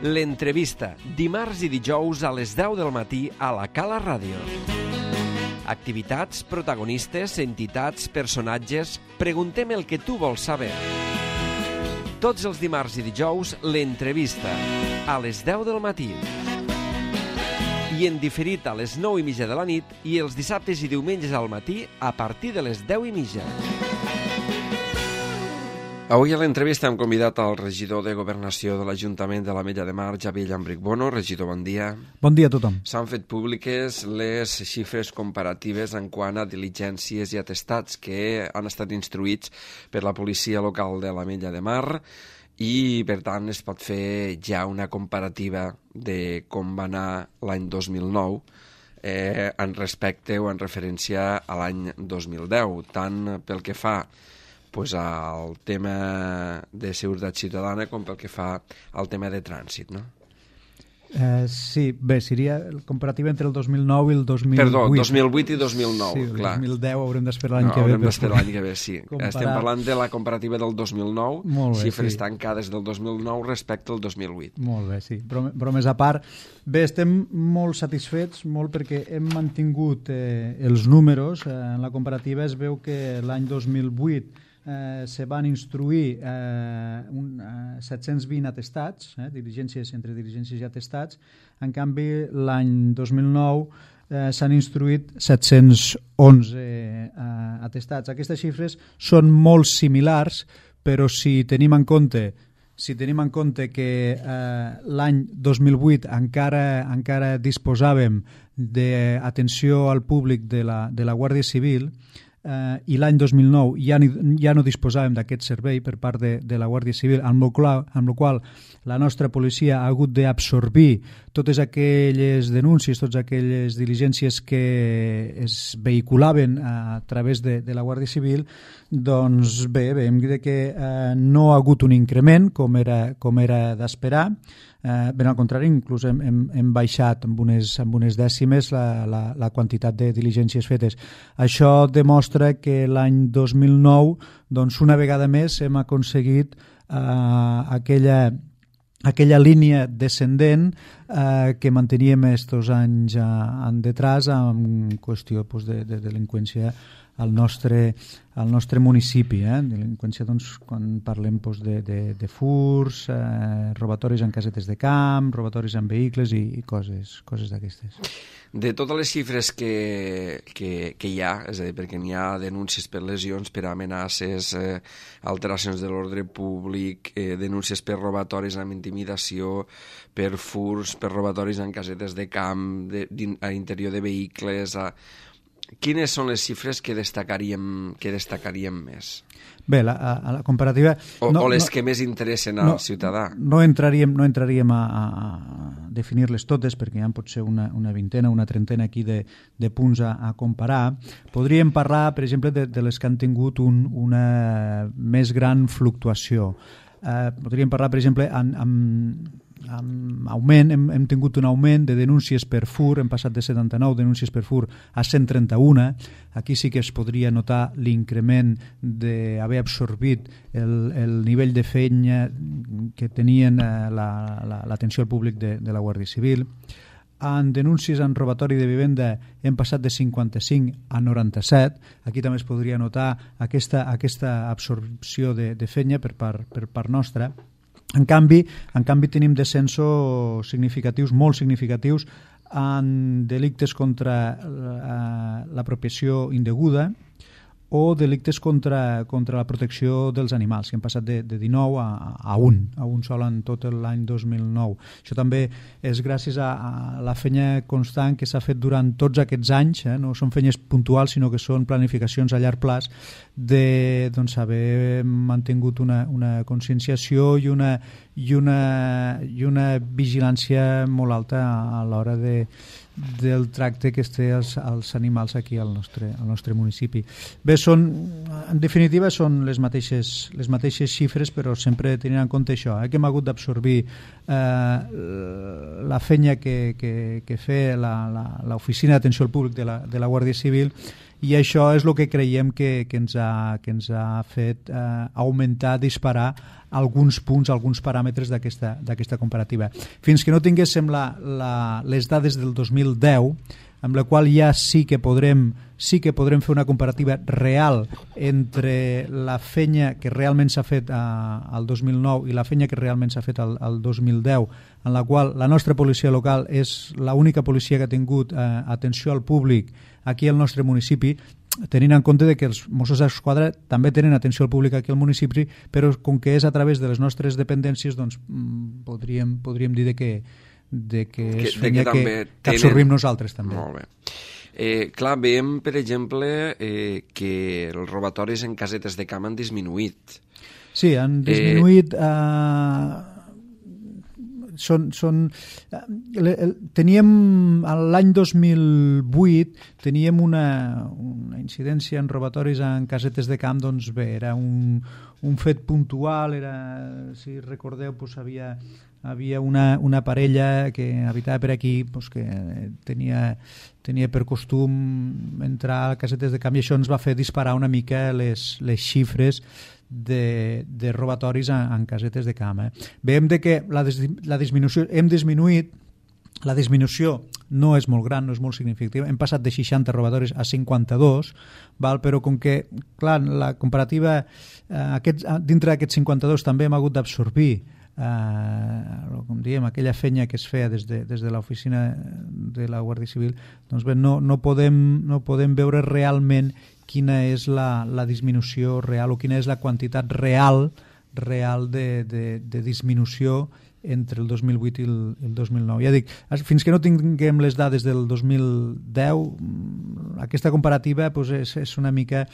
L'entrevista, dimarts i dijous a les 10 del matí a la Cala Ràdio. Activitats, protagonistes, entitats, personatges... Preguntem el que tu vols saber. Tots els dimarts i dijous, l'entrevista, a les 10 del matí. I en diferit a les 9:30 de la nit i els dissabtes i diumenges al matí a partir de les 10:30. Avui a l'entrevista hem convidat al regidor de Governació de l'Ajuntament de l'Ametlla de Mar, Xavier Llambrich Bono. Regidor, bon dia. Bon dia a tothom. S'han fet públiques les xifres comparatives en quant a diligències i atestats que han estat instruïts per la policia local de l'Ametlla de Mar i, per tant, es pot fer ja una comparativa de com va anar l'any 2009 en respecte o en referència a l'any 2010, tant pel que fa al tema de seguretat ciutadana com pel que fa al tema de trànsit, no? Sí, bé, seria el comparatiu entre el 2009 i el 2008. Perdó, 2008 i 2009, sí, clar. Sí, el 2010 haurem d'esperar l'any que ve. Haurem d'esperar l'any que ve, sí. Estem parlant de la comparativa del 2009, xifres tancades del 2009 respecte al 2008. Molt bé, sí. Bromes a part. Bé, estem molt satisfets, molt perquè hem mantingut els números. En la comparativa es veu que l'any 2008 se van instruir 720 atestats, entre diligències i atestats. En canvi, l'any 2009 s'han instruït 711 atestats. Aquestes xifres són molt similars, però si tenim en compte que l'any 2008 encara disposàvem d'atenció al públic de la Guàrdia Civil, i l'any 2009 ja no disposàvem d'aquest servei per part de la Guàrdia Civil, amb la qual la nostra policia ha hagut d'absorbir totes aquelles denúncies, totes aquelles diligències que es vehiculaven a través de la Guàrdia Civil. Doncs bé, hem dit que no ha hagut un increment com era d'esperar. Ben al contrari, inclús hem baixat amb unes dècimes la quantitat de diligències fetes. Això demostra que l'any 2009, doncs una vegada més, hem aconseguit aquella línia descendent que manteníem estos anys detrás en qüestió de delinqüència al nostre municipi. Delinqüència, doncs, quan parlem de furs, robatoris en casetes de camp, robatoris en vehicles i coses d'aquestes. De totes les xifres que hi ha, és a dir, perquè n'hi ha denúncies per lesions, per amenaces, alteracions de l'ordre públic, denúncies per robatoris amb intimidació, per furs, per robatoris en casetes de camp, a l'interior de vehicles... Quines són les xifres que destacaríem més? Bé, la comparativa... O les que més interessen al ciutadà? No entraríem a definir-les totes, perquè hi ha potser una vintena, una trentena aquí de punts a comparar. Podríem parlar, per exemple, de les que han tingut una més gran fluctuació. Podríem parlar, per exemple, hem tingut un augment de denúncies per fur, hem passat de 79 denúncies per fur a 131. Aquí sí que es podria notar l'increment d'haver absorbit el nivell de feina que tenien l'atenció al públic de la Guàrdia Civil. En denúncies en robatori de vivenda hem passat de 55 a 97. Aquí també es podria notar aquesta absorció de feina per part nostra. En canvi, tenim descensos significatius, molt significatius, en delictes contra l'apropiació indeguda o delictes contra la protecció dels animals, que hem passat de 19 a 1 sol en tot l'any 2009. Això també és gràcies a la feina constant que s'ha fet durant tots aquests anys, no són feines puntuals, sinó que són planificacions a llarg plaç d'haver mantingut una conscienciació i una vigilància molt alta a l'hora del tracte que es té als animals aquí al nostre municipi. Bé, en definitiva són les mateixes xifres, però sempre tenint en compte això, que hem hagut d'absorbir la feina que fe l'Oficina d'Atenció al Públic de la Guàrdia Civil i això és el que creiem que ens ha fet augmentar, disparar alguns punts, alguns paràmetres d'aquesta comparativa. Fins que no tinguéssim les dades del 2010, amb la qual ja sí que podrem fer una comparativa real entre la feina que realment s'ha fet al 2009 i la feina que realment s'ha fet al 2010, en la qual la nostra policia local és l'única policia que ha tingut atenció al públic aquí al nostre municipi, tenint en compte que els Mossos d'Esquadra també tenen atenció al públic aquí al municipi, però com que és a través de les nostres dependències, doncs podríem dir que és feina que absorbim nosaltres també. Molt bé. Clar, veiem, per exemple, que els robatoris en casetes de camp han disminuït. Sí, han disminuït. Teníem l'any 2008 teníem una incidència en robatoris en casetes de camp, doncs bé, era un fet puntual, si recordeu, doncs havia una parella que habitava per aquí, doncs, que tenia per costum entrar a casetes de camp, i això ens va fer disparar una mica les xifres de robatoris en casetes de camp. Veiem que la disminució hem disminuït. La disminució no és molt gran, no és molt significativa. Hem passat de 60 robatoris a 52, però com que, clar, la comparativa dintre d'aquests 52 també hem hagut d'absorbir com diem, aquella feina que es feia des de l'oficina de la Guàrdia Civil, doncs bé, no podem veure realment quina és la disminució real o quina és la quantitat real de disminució entre el 2008 i el 2009. Ja dic, fins que no tinguem les dades del 2010, aquesta comparativa doncs, és una mica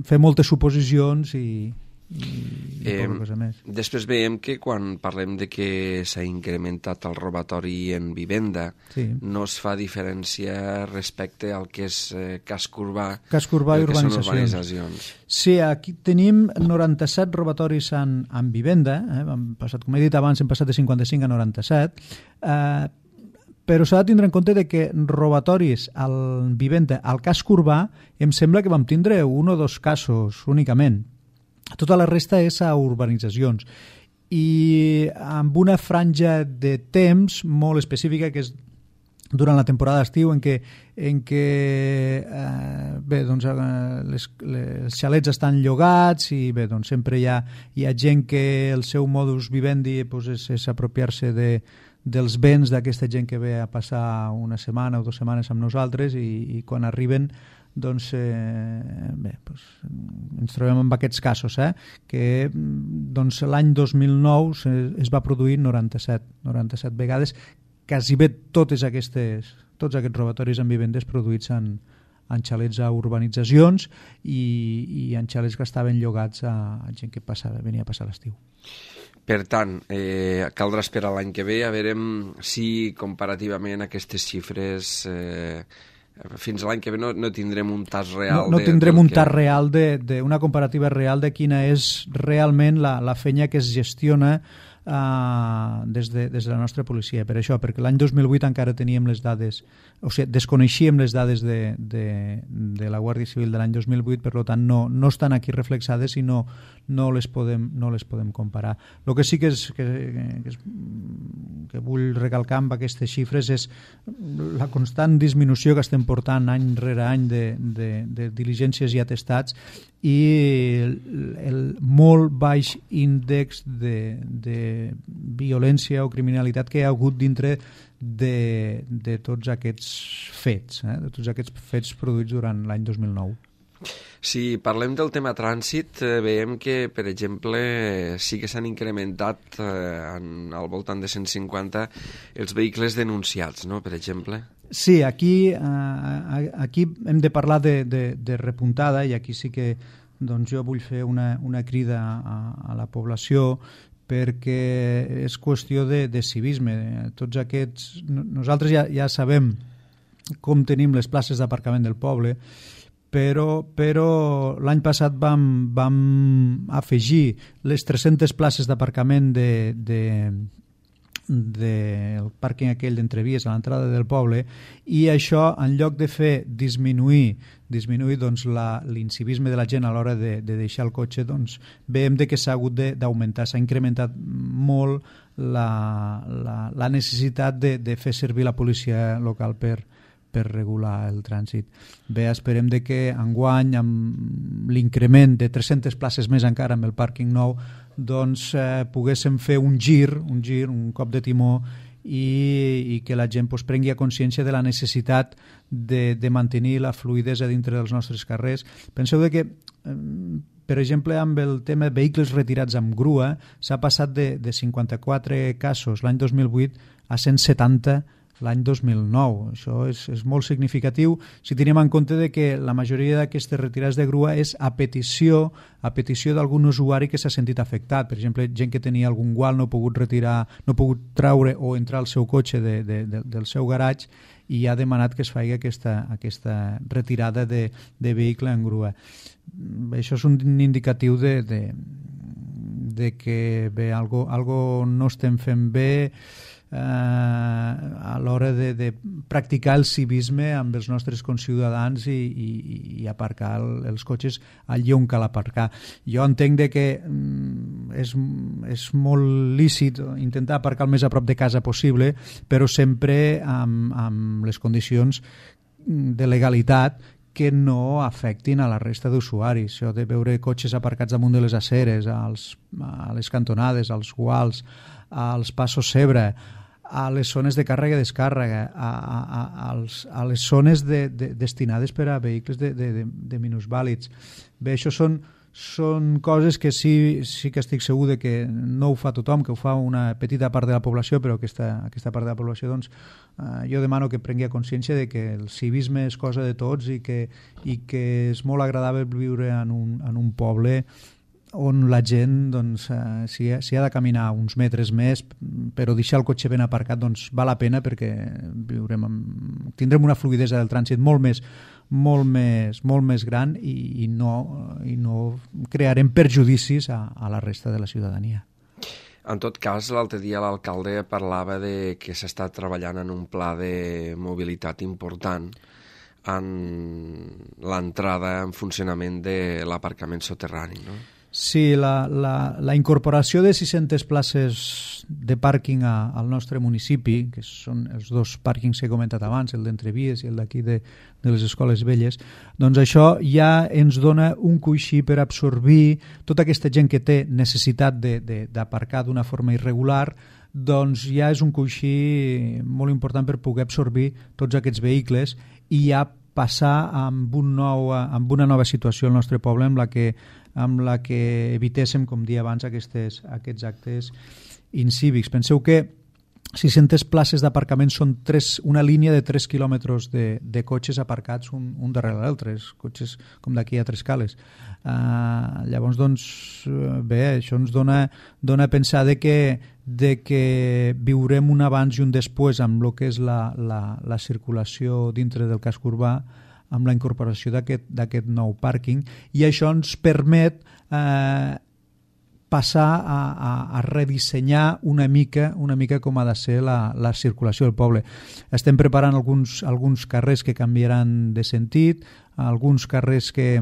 fer moltes suposicions i poca cosa més. Després veiem que quan parlem de que s'ha incrementat el robatori en vivenda, sí, no es fa diferència respecte al que és casc urbà i urbanitzacions. Sí, aquí tenim 97 robatoris en vivenda, hem passat, com he dit abans, hem passat de 55 a 97, però s'ha de tindre en compte que robatoris en vivenda al casc urbà em sembla que vam tindre 1 o 2 casos únicament. Tota la resta és a urbanitzacions i amb una franja de temps molt específica que és durant la temporada d'estiu en què els xalets estan llogats i bé, doncs sempre hi ha gent que el seu modus vivendi és apropiar-se dels béns d'aquesta gent que ve a passar una setmana o 2 setmanes amb nosaltres i quan arriben doncs, ens trobem amb aquests casos, que doncs, l'any 2009 es va produir 97 vegades, quasi bé tots aquests robatoris en vivendes produïts en xalets a urbanitzacions i en xalets que estaven llogats a gent que venia a passar l'estiu. Per tant, caldrà esperar l'any que ve a veure si comparativament aquestes xifres fins l'any que ve no tindrem un tas real. No tindrem un tas real, una comparativa real de quina és realment la feina que es gestiona des de la nostra policia. Per això, perquè l'any 2008 encara teníem les dades, o sigui, desconeixíem les dades de la Guàrdia Civil de l'any 2008, per tant no estan aquí reflexades i no les podem comparar. El que sí que vull recalcar amb aquestes xifres és la constant disminució que estem portant any rere any de diligències i atestats i el molt baix índex de violència o criminalitat que hi ha hagut dintre de tots aquests fets, de tots aquests fets produïts durant l'any 2009. Si parlem del tema trànsit, veiem que, per exemple, sí que s'han incrementat al voltant de 150 els vehicles denunciats, no?, per exemple. Sí, aquí hem de parlar de repuntada i aquí sí que doncs, jo vull fer una crida a la població perquè és qüestió de civisme. Tots aquests... Nosaltres ja sabem com tenim les places d'aparcament del poble, però l'any passat vam afegir les 300 places d'aparcament del pàrquing aquell d'Entrevies a l'entrada del poble, i això, en lloc de fer disminuir doncs, l'incivisme de la gent a l'hora de deixar el cotxe, doncs, veiem que s'ha hagut d'augmentar, s'ha incrementat molt la necessitat de fer servir la policia local per regular el trànsit. Bé, esperem que enguany, amb l'increment de 300 places més encara amb el pàrquing nou, doncs poguéssim fer un gir, un cop de timó, i que la gent prengui consciència de la necessitat de mantenir la fluïdesa dintre dels nostres carrers. Penseu que, per exemple, amb el tema vehicles retirats amb grua, s'ha passat de 54 casos l'any 2008 a 170 l'any 2009. Això és molt significatiu si tenim en compte que la majoria d'aquestes retirades de grua és a petició d'algun usuari que s'ha sentit afectat. Per exemple, gent que tenia algun gual, no ha pogut retirar, no ha pogut treure o entrar al seu cotxe del seu garatge, i ha demanat que es faci aquesta retirada de vehicle en grua. Això és un indicatiu de que bé, algo no estem fent bé a l'hora de practicar el civisme amb els nostres conciutadans i aparcar els cotxes allí on cal aparcar. Jo entenc que és molt lícit intentar aparcar el més a prop de casa possible, però sempre amb les condicions de legalitat que no afectin a la resta d'usuaris. Això de veure cotxes aparcats damunt de les aceres, a les cantonades, als guals, als passos zebra, a les zones de càrrega i descàrrega, a les zones destinades per a vehicles de minusvàlids. Bé, això són coses que sí que estic segur que no ho fa tothom, que ho fa una petita part de la població, però aquesta part de la població, doncs, jo demano que prengui consciència de que el civisme és cosa de tots i que és molt agradable viure en un poble on la gent, doncs, si ha de caminar uns metres més, però deixar el cotxe ben aparcat, doncs val la pena, perquè tindrem una fluïdesa del trànsit molt més gran i no crearem perjudicis a la resta de la ciutadania. En tot cas, l'altre dia l'alcalde parlava de que s'està treballant en un pla de mobilitat important en l'entrada en funcionament de l'aparcament soterrani, no? Sí, la incorporació de 600 places de pàrquing al nostre municipi, que són els dos pàrquings que he comentat abans, el d'Entrevies i el d'aquí de les Escoles Velles, doncs això ja ens dona un coixí per absorbir tota aquesta gent que té necessitat d'aparcar d'una forma irregular, doncs ja és un coixí molt important per poder absorbir tots aquests vehicles i ja passar amb una nova situació al nostre poble amb la que evitéssim, com dia abans, aquests actes incívics. Penseu que 600 places d'aparcament són una línia de 3 quilòmetres de cotxes aparcats un darrere l'altre, cotxes com d'aquí a Tres Cales. Llavors, doncs, bé, això ens dona a pensar de que viurem un abans i un després amb el que és la circulació dintre del casc urbà, amb la incorporació d'aquest nou pàrquing, i això ens permet passar a redissenyar una mica com ha de ser la circulació del poble. Estem preparant alguns carrers que canviaran de sentit, alguns carrers que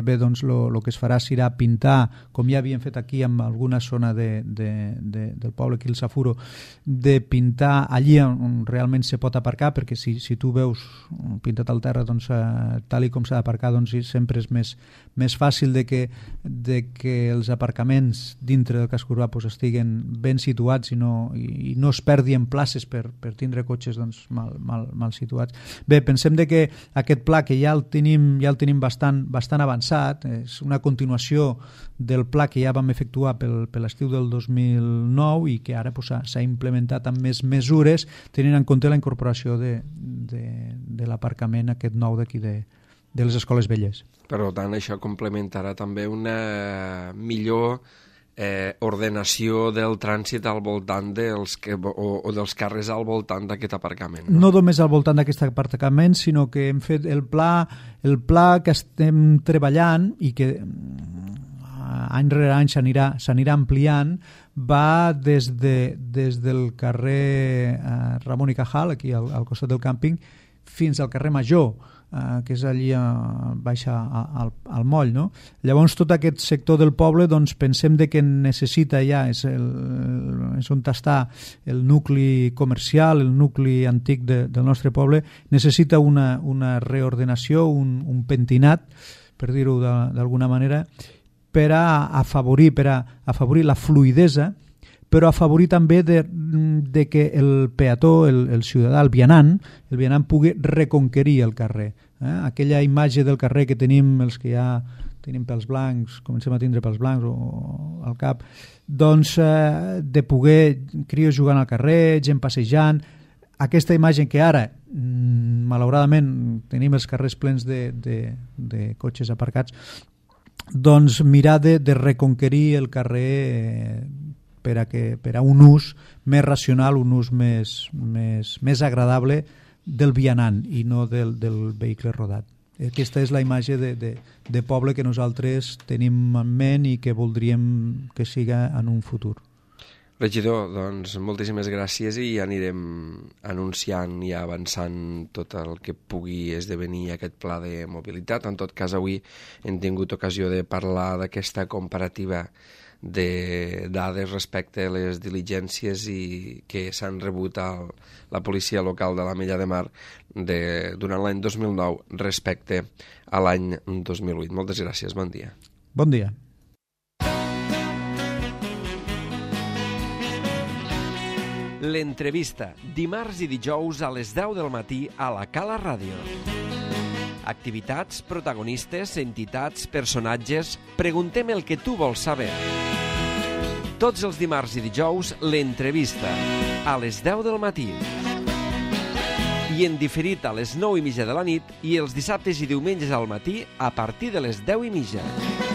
bé, doncs el que es farà serà pintar, com ja havíem fet aquí en alguna zona del poble, aquí el Safuro, de pintar allí on realment se pot aparcar, perquè si tu veus pintat al terra, doncs, tal i com s'ha d'aparcar, doncs sempre és més fàcil de que els aparcaments dintre del casc urbà estiguen ben situats i no es perdin places per tindre cotxes, doncs, mal situats. Bé, pensem que aquest pla, que ja el tenim bastant avançat, és una continuació del pla que ja vam efectuar per l'estiu del 2009 i que ara s'ha implementat amb més mesures, tenint en compte la incorporació de l'aparcament aquest nou d'aquí de les Escoles Velles. Per tant, això complementarà també una millor ordenació del trànsit al voltant dels carrers al voltant d'aquest aparcament. No només al voltant d'aquest aparcament, sinó que hem fet el pla que estem treballant i que any rere any s'anirà ampliant, va des del carrer Ramon i Cajal, aquí al costat del càmping, fins al carrer Major, que és allí baixa al moll, no? Llavors tot aquest sector del poble doncs, pensem que necessita ja, és on està el nucli comercial, el nucli antic del nostre poble, necessita una reordenació, un pentinat, per dir-ho d'alguna manera, per a afavorir la fluïdesa, però afavorir també de que el peató, el ciutadà, el vianant pugui reconquerir el carrer. Aquella imatge del carrer que tenim, els que ja tenim pèls blancs, comencem a tindre pèls blancs al cap, doncs de poder crios jugant al carrer, gent passejant, aquesta imatge que ara, malauradament, tenim els carrers plens de cotxes aparcats, doncs mirar de reconquerir el carrer per a un ús més racional, un ús més agradable del vianant i no del vehicle rodat. Aquesta és la imatge de poble que nosaltres tenim en ment i que voldríem que siga en un futur. Regidor, doncs moltíssimes gràcies i anirem anunciant i avançant tot el que pugui esdevenir aquest pla de mobilitat. En tot cas, avui hem tingut ocasió de parlar d'aquesta comparativa de dades respecte a les diligències que s'han rebut a la policia local de l'Ametlla de Mar durant l'any 2009 respecte a l'any 2008. Moltes gràcies, bon dia. Bon dia. L'entrevista, dimarts i dijous a les 10 del matí a la Cala Ràdio. Activitats, protagonistes, entitats, personatges... Preguntem el que tu vols saber. Tots els dimarts i dijous, l'entrevista, a les 10 del matí. I en diferit a les 9:30 de la nit i els dissabtes i diumenges al matí a partir de les 10:30.